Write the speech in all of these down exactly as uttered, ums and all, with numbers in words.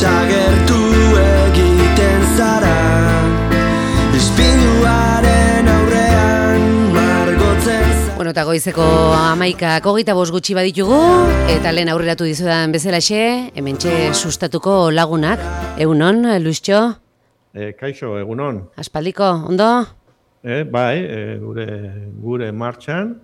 desagertu egiten zara, ispiluaren aurrean margotzen zara. Bueno, eta goizeko amaikak hogeita bost gutxi baditugu, eta lehen aurreratu dizudan bezalaxe, hementxe sustatuko lagunak. Egunon, Luistxo? E, kaixo, egunon. Aspaldiko, ondo? E, bai, e, gure, gure martxan,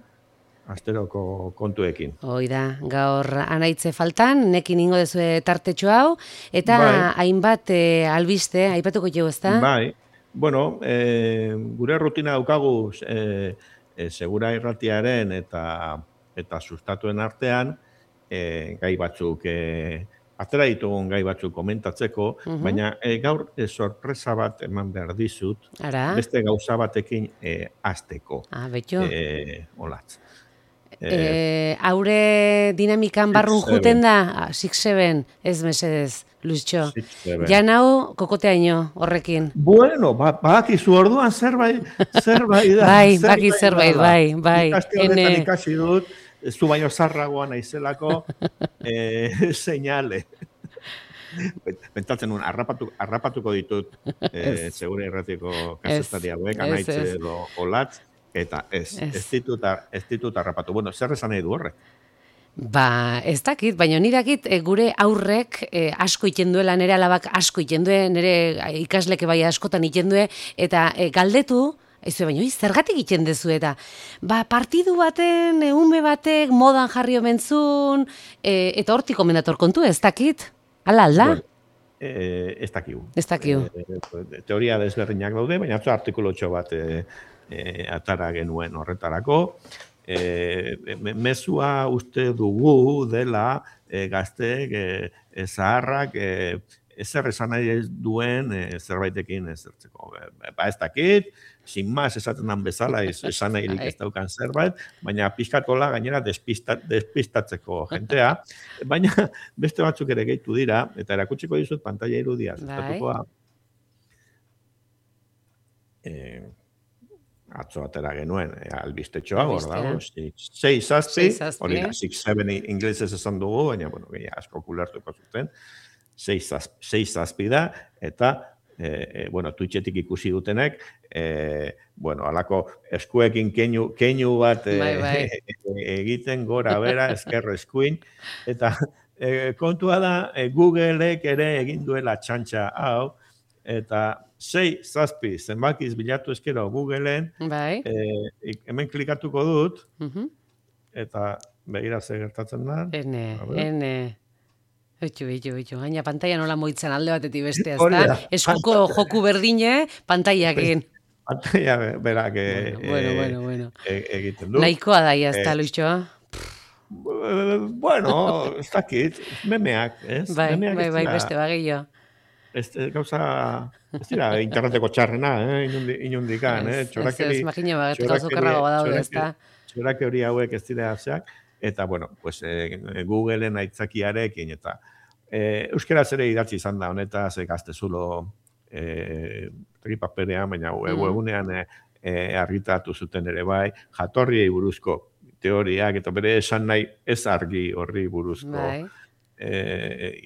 asteroko kontuekin. Hoi da, gaur anaitze faltan, nekin ingo dezue tartetxo hau, eta bai. Hainbat e, albiste, aipatuko jo, ezta? Bai, bueno, e, gure rutina daukagu e, e, segura irratiaren eta, eta sustatuen artean, e, gai batzuk, e, atera ditugun gai batzuk komentatzeko, uh-huh. baina e, gaur e, sorpresa bat eman behar dizut, Ara? Beste gauza batekin e, azteko. Ah, betxo. E, olatz. E, haure dinamikan barrun juten da, six seven, ez mesedez, Luistxo. Jan hau kokoteaino horrekin. Bueno, ba, bakizu orduan zerbait, zerbait da. Bai, baki zerbait, bai, bai. Ikaste honetan ikasi dut, zu baino zarragoa naizelako, eh, seinale. Bentatzen un, arrapatu, arrapatuko ditut, eh, segure irratiko kasetari hauek, anaitze edo olatz, eta ez, ez, ez ditut, ez ditut arrapatu. Bueno, zer esan nahi du horrek? Ba, ez dakit, baina ni dakit e, gure aurrek e, asko iten duela, nire alabak asko iten due, nire ikasleke bai askotan iten due, eta e, galdetu, ez du, baina zergatik iten dezu, eta ba, partidu baten, e, ume batek, modan jarri omentzun, e, eta hortik komendator kontu, ez dakit? Ala, alda? Bueno, e, ez dakiu. Ez dakiu. E, teoria desberdinak daude, baina atzo artikulotxo bat e, e, atara genuen horretarako. E, mezua uste dugu dela e, gazteek, e, zaharrak, e, ezer esan nahi duen e, zerbaitekin ezertzeko. Ba ez dakit, sin más esaten dan bezala esan nahirik ez daukan zerbait, baina pixkatola gainera despista, despistatzeko jentea, baina beste batzuk ere gehitu dira, eta erakutsiko dizut pantaila irudia, zutatukoa. E, atzo atera genuen, e, albistetxoa, hor dago, sei zazpi, hori da, six seven inglesez esan dugu, baina, bueno, gehi asko kulertuko zuten, sei zazpi da, eta, e, e, bueno, Twitchetik ikusi dutenek, e, bueno, alako eskuekin keinu, keinu bat e, bai, bai. egiten gora bera, ezker eskuin, eta e, kontua da, e, Googleek ere egin duela txantxa hau, eta sei zazpi zenbakiz bilatu eskero Googleen, bai. e, hemen klikatuko dut, uh-huh. eta begira ze gertatzen da. Ene, ene. Oitxu, oitxu, oitxu. Gaina pantaia nola moitzen alde batetik bestea, ezta? Eskuko joku berdine, pantaiakin. Pantaia berak e, bueno, bueno, bueno. E, egiten du. Nahikoa daia, ezta, e, Luistxo? Bueno, ez dakit, memeak, ez? Bai, memeak bai, bai, beste bagillo. Ez gauza, ez dira, interneteko txarrena, eh? Inundi, inundikan, eh? Txorakeri, ez, ez, makina bat, gauzokarrago badaude, ez da? Txorakeri hauek ez dira zeak, eta, bueno, pues, eh, Googleen aitzakiarekin, eta eh, euskaraz ere idatzi izan da, honetaz, eh, gaztezulo eh, tripaperean, baina mm. webunean eh, eh, argitatu zuten ere bai, jatorriei buruzko teoriak, eta bere esan nahi ez argi horri buruzko, bai. E,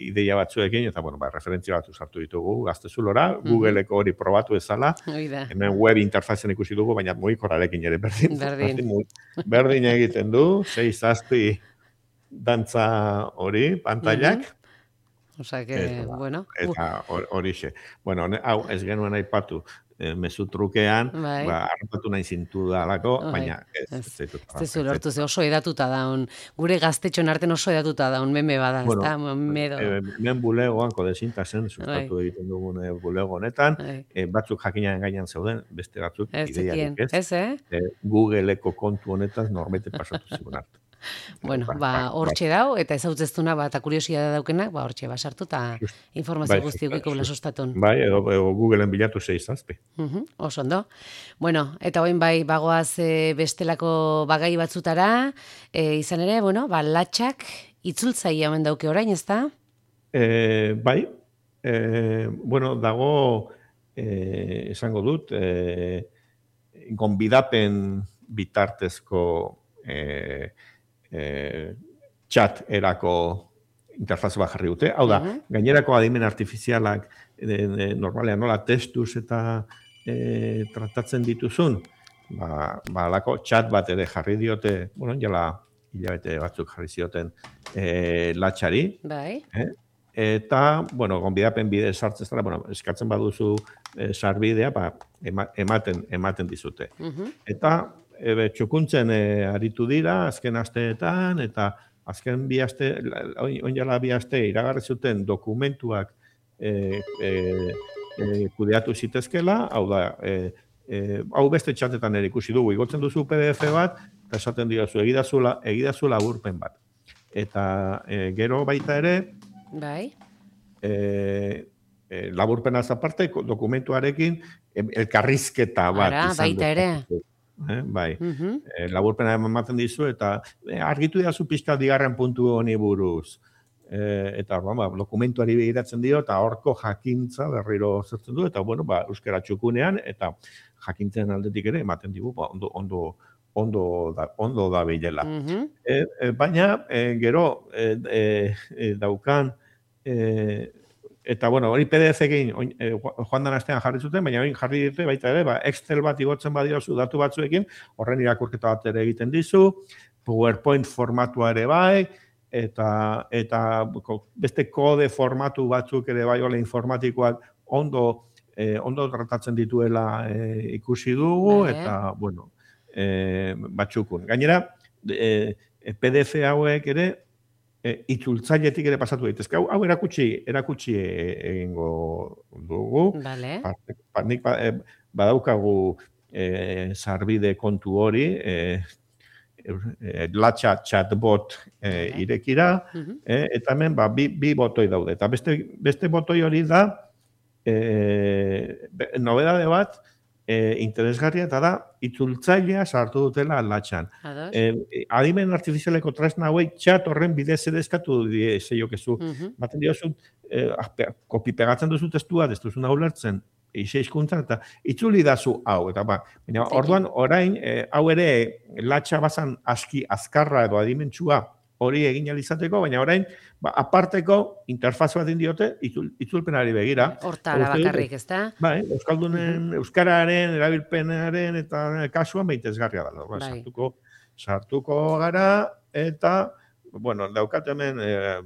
ideia batzuekin, eta bueno, ba, referentzia batzu sartu ditugu gaztezulora, mm-hmm. Googleeko hori probatu ezala, hemen web interfazen ikusi dugu, baina mugikorrarekin ere berdin. Berdin. Berdin, berdin egiten du, sei zazpi dantza hori, pantailak. Mm-hmm. Osa que, eta, bueno. Eta horixe. Bueno, hau ez genuen aipatu, e, mezu trukean, bai. Ba, harrapatu nahi zintu da alako, bai. Baina ez. Ez, ez, ez, ez zu lortu, ze oso edatuta daun. Gure gaztetxon arten oso edatuta daun, meme bada, bueno, ez da, medo. E, men bulegoan, kodezinta zen, sustatu bai. Egiten dugun e, bulego honetan, bai. e, batzuk jakinaren gainan zeuden, beste batzuk ideiarik ez. Ez, eh? E, Googleeko kontu honetan norbete pasatu zigun hartu. Bueno, ba, hortxe dau, eta ez hautzeztuna, ba, eta kuriosia da daukenak, ba, hortxe, ba, sartu, eta informazio bai, guzti ukiko bela sostatun. Bai, edo, edo Googleen bilatu sei zazpi. Uh-huh, oso ondo. Bueno, eta hoin bai, bagoaz e, bestelako bagai batzutara, e, izan ere, bueno, ba, latxak itzultzaia hemen dauke orain, ez da? E, bai, e, bueno, dago, e, esango dut, e, gonbidapen bitartezko e, E, txat erako interfaz bat jarri dute. Hau da, uh -huh. gainerako adimen artifizialak e, e, normalean nola testuz eta e, tratatzen dituzun, ba, ba alako chat bat ere jarri diote, bueno, jala hilabete batzuk jarri zioten e, latxari. Bai. Eh? Eta, bueno, gonbidapen bide sartzen zara, bueno, eskatzen baduzu e, sarbidea, ba, ematen, ematen dizute. Uh -huh. Eta e, txukuntzen e, aritu dira, azken asteetan, eta azken bi aste, oin jala bi aste, iragarri zuten dokumentuak e, e, e, kudeatu zitezkela, hau da, e, e, hau beste txatetan ere ikusi dugu, igotzen duzu P D F bat, eta esaten diozu, egidazula, egidazula laburpen bat. Eta e, gero baita ere, bai. E, e, laburpenaz aparte, dokumentuarekin elkarrizketa bat. Ara, baita ere. Eh, bai, uh -huh. e, laburpena ematen dizu, eta e, argitu diazu pixka digarren puntu honi buruz. E, eta ba, dokumentuari begiratzen dio, eta horko jakintza berriro zertzen du, eta bueno, ba, euskara txukunean, eta jakintzen aldetik ere, ematen digu, ba, ondo, ondo, ondo da, ondo da bilela. Uh -huh. e, e, baina, e, gero, e, e, e, daukan, e, eta, bueno, hori P D F-ekin e, joan dan astean jarri zuten, baina hori jarri dute baita ere, ba, Excel bat igotzen badiozu datu batzuekin, horren irakurketa bat ere egiten dizu, PowerPoint formatua ere bai, eta, eta beste kode formatu batzuk ere bai, ole informatikoak ondo, e, ondo tratatzen dituela e, ikusi dugu, Bale. Eta, bueno, e, batxukun. Gainera, e, P D F hauek ere, E, itzultzailetik ere pasatu daitezke. Hau, hau erakutsi, erakutsi egingo dugu. Vale. Ba, nik ba, e, badaukagu e, sarbide kontu hori, e, e, latxa chatbot e, irekira, uh -huh. e, eta hemen ba, bi, bi botoi daude. Eta beste, beste botoi hori da, e, nobedade bat, E, interesgarria eta da, itzultzailea sartu dutela latxan. E, adimen artifizialeko tresna hauei txat horren bidez ere eskatu die zeiokezu. Uh -huh. Baten diozun, e, kopi pegatzen duzu testua, ez duzuna ulertzen, eixe hizkuntzan eta itzuli dazu hau. Eta ba, baina, orduan, orain, e, hau ere latxa bazan aski azkarra edo adimentsua hori egin alizateko, baina orain, ba, aparteko interfaz bat indiote, itzul, itzulpenari begira. Hortara bakarrik, ez da? Bai, Euskaldunen, uh -huh. Euskararen, erabilpenaren eta kasuan behitezgarria da. Ba, bai. sartuko, sartuko gara eta, bueno, daukat hemen e,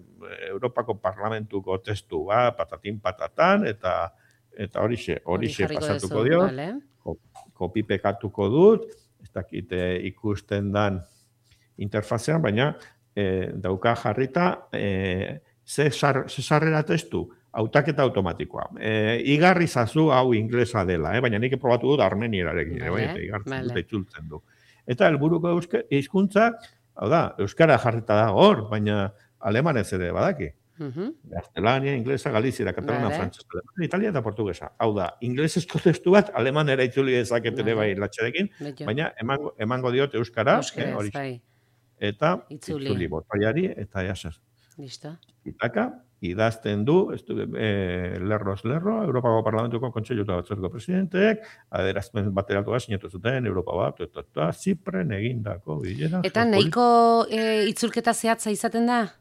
Europako Parlamentuko testu, ba, patatin patatan, eta eta horixe, horixe pasatuko dio. Vale. Kopi pekatuko dut, ez dakite ikusten dan interfazean, baina E, dauka jarrita, e, ze sarrera testu, hautaketa automatikoa. E, igarri zazu hau inglesa dela, eh? Baina nik probatu dut armenierarekin, vale, eh? Igartzen dut, itzultzen du. Eta helburuko hizkuntza, hau da, euskara jarrita da hor, baina alemanez ere badaki. Uh -huh. Gaztelania, inglesa, galiziera, katalana, vale. Frantzesa, italia eta portugesa. Hau da, inglesezko testu bat, alemana itzuli dezaket ere bai latxarekin, baina emango, emango diote euskara, eh, hori. Bai. Eta itzuli, itzuli botoiari, eta jasaz. Listo. Itaka, idazten du, estu, e, lerroz lerro, Europako Parlamentuko Kontseilu eta Batzorko presidenteek, adierazpen bateratu sinatu zuten, Europa bat, eta, eta Zipren egindako bilera. Eta nahiko e, itzulketa zehatza izaten da?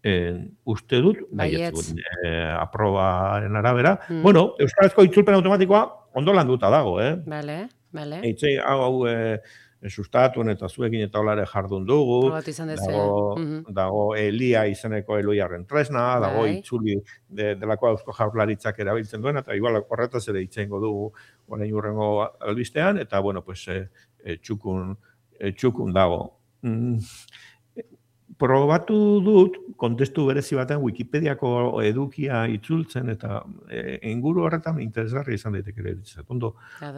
E, uste dut, baietz, e, aprobaren arabera. Mm. Bueno, euskarazko itzulpen automatikoa ondo landuta dago, eh? Bale, bale. Eitzei, hau, hau, e, sustatuen eta zuekin eta olare jardun dugu, dago, uh -huh. dago Elia izeneko Eloiarren tresna, dago bai. Itzuli de, delako Eusko Jaurlaritzak erabiltzen duena, eta igual horretaz ere itzengo dugu orain urrengo albistean, eta bueno, pues, e, e, txukun, e, txukun dago. Mm. Probatu dut, kontestu berezi batean Wikipediako edukia itzultzen, eta e, inguru horretan interesgarri izan daiteke ere. Ondo,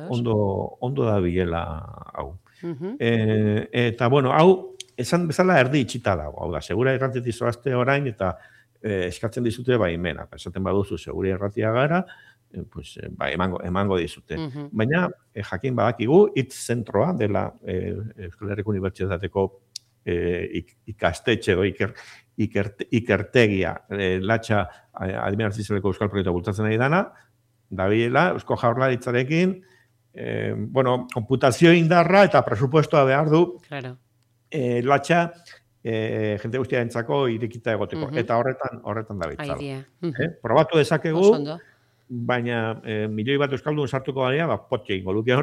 ondo, ondo da bilela hau. Uh-huh. E, eta, bueno, hau, esan bezala erdi itxita dago. Hau da, segura errantzeti zoazte orain, eta e, eskatzen dizute baimena. Esaten baduzu, segura erratia gara, e, pues, e, ba, emango, emango dizute. Uh-huh. Baina, e, jakin badakigu, hitz zentroa dela e, Euskal Herriko Unibertsitateko e, ikastetxe edo iker, ikerte, ikertegia e, latxa adimen artifizialeko euskal proiektua bultzatzen nahi dana, dabilela, Eusko Jaurlaritzarekin, Eh, bueno, konputazio indarra eta presupuestoa behar du. Claro. Eh, latxa e, jende guztia entzako irekita egoteko. Mhm. Eta horretan, horretan da bitzala. Idea. Eh? Probatu dezakegu, Oso ondo. baina e, milioi bat euskaldun sartuko gara, ba, potxe ingo luke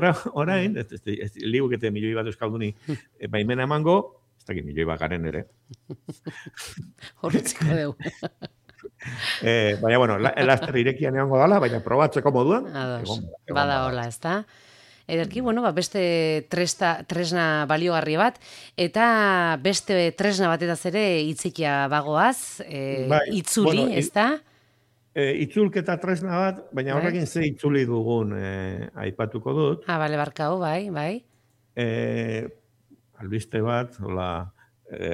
orain, ez, ez, ez, ligukete milioi bat euskalduni e, baimena emango, ez dakit milioi bat garen ere. Horretziko dugu. eh, baina, bueno, la, laster irekian egongo dala, baina probatzeko moduan. Ados, egon, egon bada hola, ez da? Ederki, bueno, ba, beste tresta, tresna baliogarri bat, eta beste tresna batetaz ere hitzikia bagoaz, e, bai, itzuli, bueno, ez da? E, itzulketa tresna bat, baina horrekin ze itzuli dugun e, aipatuko dut. Ah, bale, barkau, bai, bai. E, albiste bat, hola, e,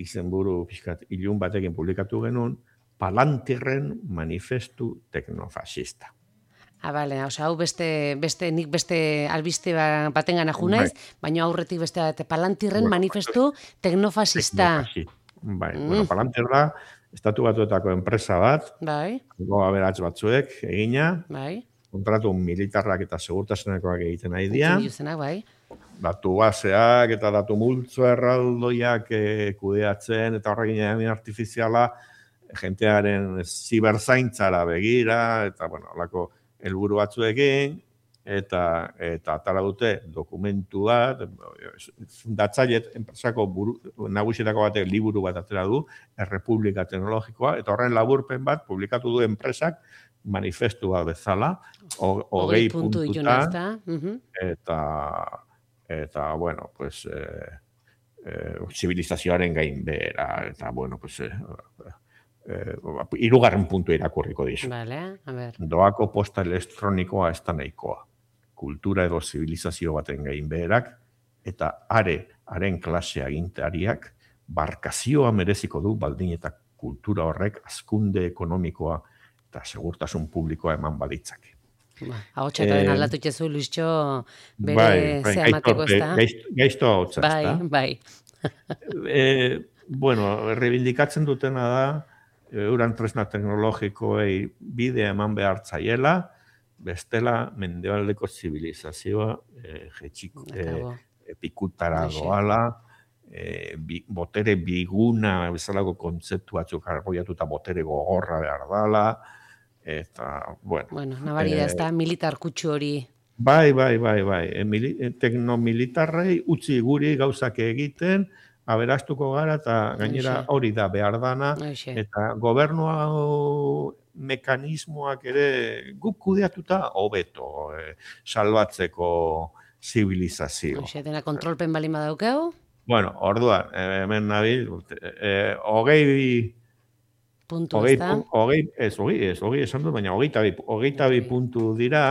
izenburu pixkat ilun batekin publikatu genuen, Palantirren manifestu teknofasista. Ah, bale, osea, hau beste, beste, nik beste albiste batengan aju naiz, baina aurretik beste bat, Palantirren bueno, manifestu teknofasista. Bai, mm. bueno, Palantir da, estatu batuetako enpresa bat, bai. Goa beratz batzuek egina, bai. kontratu militarrak eta segurtasunekoak egiten nahi dira. Bai. Datu baseak eta datu multzo erraldoiak e, kudeatzen, eta horrekin egin artifiziala, jentearen ziberzaintzara begira, eta, bueno, alako helburu batzuekin, eta eta atara dute dokumentu bat, fundatzailet enpresako buru, nagusietako batek liburu bat atera du, Errepublika Teknologikoa, eta horren laburpen bat publikatu du enpresak manifestu bat bezala, hogei puntuta, eta, eta, bueno, pues, eh, eh, zibilizazioaren gain behera, eta, bueno, pues, eh, eh, irugarren puntu irakurriko dizu. Vale, a ver. Doako posta elektronikoa ez da nahikoa. Kultura edo zibilizazio baten gain beherak, eta are, haren klase agintariak, barkazioa mereziko du baldin eta kultura horrek hazkunde ekonomikoa eta segurtasun publikoa eman baditzake. Ba, ahotsa eta den aldatu itxezu, Luistxo, bere bai, ze amateko ez da. Gaizto ahotsa ez da. Bai, bai. e, bueno, rebindikatzen dutena da, euran tresna teknologikoei bidea eman behar zaiela, bestela mendebaldeko zibilizazioa e, jetxiko, e, pikutara doala, e, bi, botere biguna bezalako kontzeptu batzuk argoiatuta botere gogorra behar dala, eta, bueno. Bueno, nabari da, ez da, militar kutsu hori. Bai, bai, bai, bai. E, mili, teknomilitarrei utzi guri gauzak egiten, aberastuko gara, eta gainera hori da behar dana, eta gobernua mekanismoak ere guk kudeatuta hobeto e, salbatzeko zibilizazio. Oxe, dena kontrolpen balin badaukeu? Bueno, orduan, hemen nabil, e, hogei... Puntu, hogei, ez da? Hogei, ez, hogei, ez, hogei esan dut, baina hogeita bi, hogeita bi puntu dira,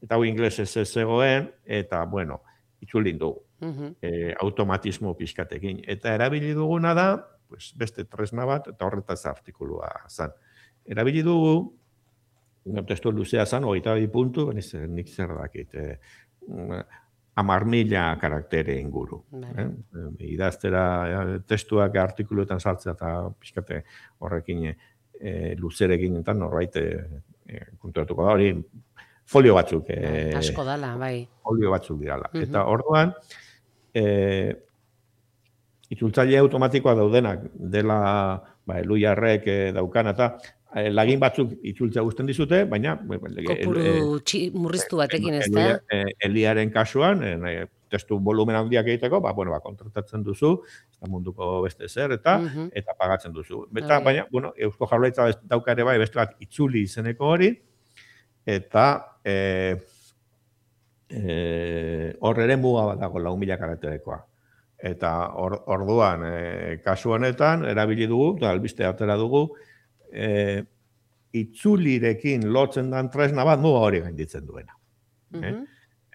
eta hau inglesez ez zegoen, eta, bueno, itzulin dugu. Uh-huh. E, automatismo pixkatekin. Eta erabili duguna da, pues, beste tresna bat, eta horretaz artikulua zan. Erabili dugu, testu luzea zan, hogeita bi puntu, nik zer dakit, eh, amar mila karaktere inguru. Eh? Idaztera testuak artikuluetan sartzea eta pixkate horrekin eh, luzerekin eta norbait eh, konturatuko da hori, folio batzuk. Eh, Asko dala, bai. Folio batzuk dirala. Uh-huh. Eta orduan, E, itzultzaile automatikoa daudenak dela ba, eluiarrek e, daukan eta e, lagin batzuk itzultzea guzten dizute, baina kopuru e, murriztu batekin ez da? E, eliaren kasuan, e, testu volumen handiak egiteko, ba, bueno, ba, kontratatzen duzu, ez da munduko beste zer, eta uh-huh. eta pagatzen duzu. Eta, okay. Baina, bueno, Eusko Jaurlaritza dauka ere bai, beste bat itzuli izeneko hori, eta... E, hor ere muga bat dago lau mila karakterekoa. Eta or, orduan, e, kasu honetan, erabili dugu, eta albiste atera dugu, e, itzulirekin lotzen dan tresna bat muga hori gainditzen duena. Uh-huh. eh?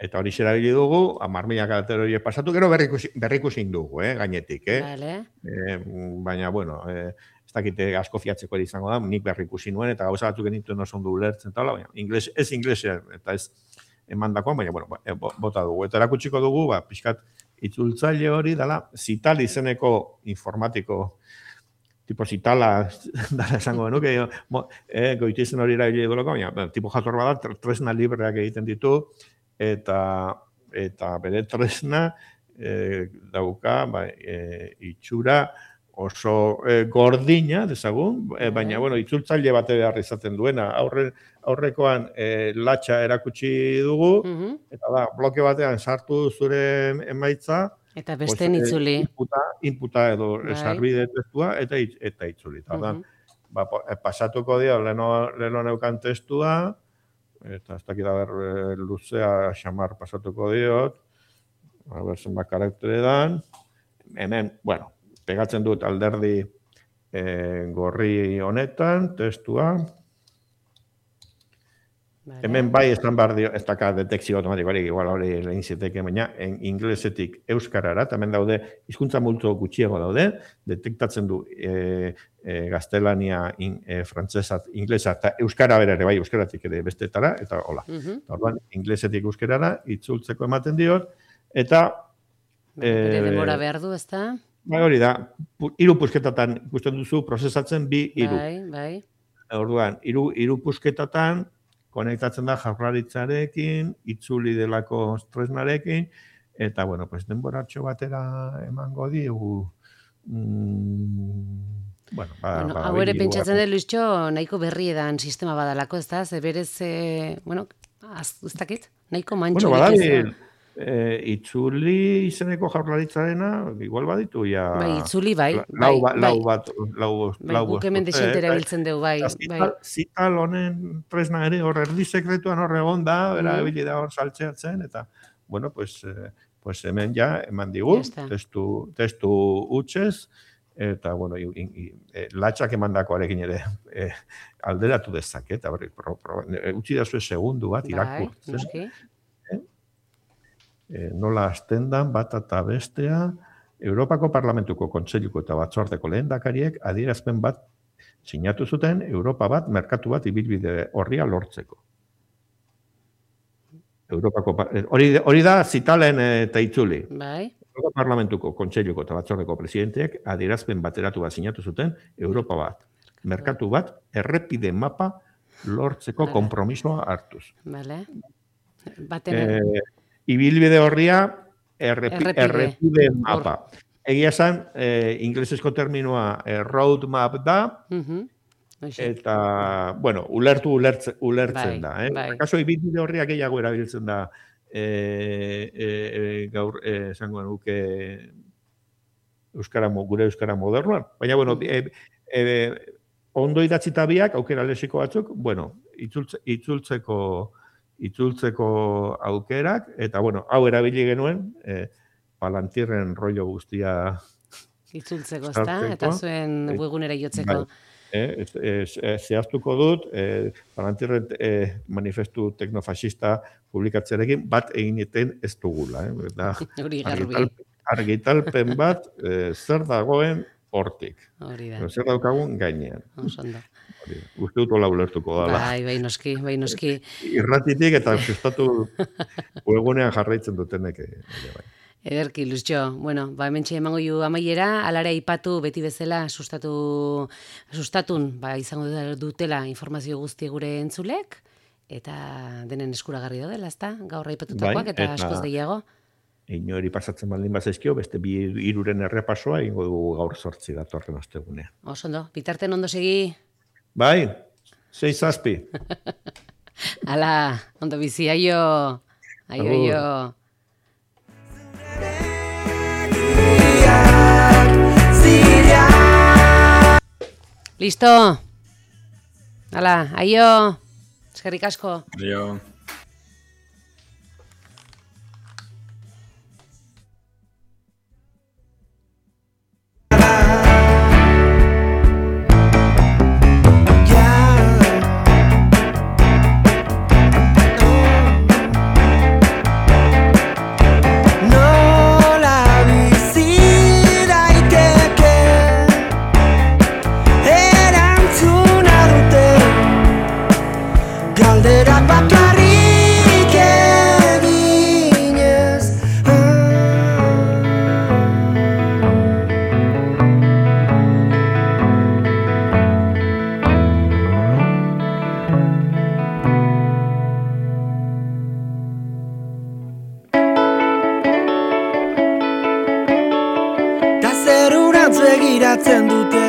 Eta hori erabili dugu, hamar mila karaktere horiek pasatu, gero berrikusin dugu, eh, gainetik. Eh? Vale. E, baina, bueno, e, ez dakite asko fiatzeko izango da, nik berrikusi nuen, eta gauza batzuk genituen oso ondo ulertzen, baina ingles, ez inglesia, eta ez emandakoan, baina, bueno, bota dugu. Eta erakutsiko dugu, ba, pixkat, itzultzaile hori dela, Zital izeneko informatiko, tipo Zitala, dara esango genuke, eh, goitizen hori erabili dugulako, baina, tipo jator bada, tresna libreak egiten ditu, eta, eta bere tresna, e, dauka, bai, e, itxura oso e, gordina, dezagun, e, baina, bueno, itzultzaile bate behar izaten duena. Aurre, aurrekoan e, latxa erakutsi dugu, Mhm. eta da, bloke batean sartu zure emaitza, Eta besten pues, itzuli. Inputa, inputa edo Bai. sarbide testua, eta, itz- eta itzuli. Eta, Mhm. ba, po- e, pasatuko dio, leno, leno neukan testua, eta ez dakit haber e, luzea xamar pasatuko diot, a ber zenbat karaktere dan, hemen, bueno, pegatzen dut alderdi e, gorri honetan, testua, Vale. hemen bai esan behar dio, ez daka detekzio automatikorik, igual hori lehen ziteke, baina en inglesetik euskarara, eta hemen daude, hizkuntza multzo gutxiago daude, detektatzen du e, e, gaztelania, in, e, frantzesa, inglesa, eta euskara bera ere, bai, euskaratik ere bestetara, eta hola. Mhm. Orduan, inglesetik euskarara, itzultzeko ematen diot, eta Bere e, denbora behar du, ezta? bai, hori da, pu, hiru pusketatan ikusten duzu prozesatzen bi hiru. Bai, bai. Orduan, hiru hiru pusketatan konektatzen da jaurlaritzarekin, itzuli delako tresnarekin, eta, bueno, pues, denboratxo batera emango diegu, mm, bueno, ba, Bueno, ba, hau ere hiru pentsatzen arte. dut, Luistxo, nahiko berri edan sistema badalako, ez da? Ze berez, e, bueno, az, ez dakit, nahiko Bueno, mantxurik badabil, ez. e, itzuli izeneko jaurlaritzarena, igual baditu, ja... Bai, itzuli, bai, la- bai, lau, ba- bai. lau bat, lau, Bai, lau guk hemen bost urte, desente eh, erabiltzen dugu, bai, Eta bai. zital, zital honen tresna ere hor erdi sekretuan hor egon da, Mhm. erabili da hor saltzeatzen, eta, bueno, pues, eh, pues hemen ja eman digu, Ya está. testu, testu utxez, eta, bueno, i, i, e, latxak emandakoarekin ere e, alderatu dezake, eta berri, pro, pro, e, utzi da zuen segundu bat Bai, irakurtzen, noski. e, nola hasten dan bat eta bestea, Europako Parlamentuko Kontseiluko eta Batzordeko lehendakariek adierazpen bat sinatu zuten Europa bat, merkatu bat ibilbide horria lortzeko. Europako, pa- eh, hori, hori da zitalen eh, eta itzuli. Bai, Europa Parlamentuko Kontseiluko eta Batzordeko presidenteek adierazpen bateratu bat sinatu zuten Europa bat, merkatu bat, errepide mapa lortzeko Hala. konpromisoa hartuz. bale. Baten, Eh, ibilbide horria errepi, Errepide. errepide mapa. Egia esan, eh, inglesezko terminoa eh, road map da, mhm, hoxe. eta, bueno, ulertu ulertze, Bai, ulertzen da. Eh? bai. Kaso, ibilbide horria gehiago erabiltzen da, eh, eh, gaur, eh, esango nuke, euskara, mo- gure euskara modernoan. Baina, bueno, Mhm. eh, eh, ondo idatzita biak, aukera lexiko batzuk, bueno, itzultze, itzultzeko itzultzeko aukerak, eta, bueno, hau erabili genuen, eh, palantirren rollo guztia Itzultzeko, ezta? sartzeko. Eta zuen Eh, webgunera jotzeko. bai. Eh, ez, ez, ez, zehaztuko dut, eh, palantirren eh, manifestu teknofaxista publikatzearekin bat egiten ez dugula. Eh? Da, Hori garbi, argital, argitalpen bat eh, zer dagoen hortik. hori da. Edo zer daukagun gainean. Oso ondo. Hori da. Uste dut hola ulertuko dala. Bai, bai noski, bai noski. Irratitik eta sustatu webgunean jarraitzen dutenek ere bai. Ederki, Luistxo. Bueno, ba, hementxe emango ju amaiera, alare aipatu beti bezala sustatu, sustatun, ba, izango dutela informazio guzti gure entzulek, eta denen eskuragarri daudela, ezta? Gaur aipatutakoak Bai, eta, eta- askoz gehiago. Inori pasatzen baldin bazaizkio, beste bi hiruren errepasoa egingo dugu gaur sortzi datorren ostegunean. Oso ondo, bitarten ondo segi, Bai, sei zazpi. ala, ondo bizi, aio, aio, Agur. aio. Listo. Hala, aio. Eskerrik asko. Aio. Nola bizi daiteke erantzuna dute galderak bakarrik Norantz begiratzen dute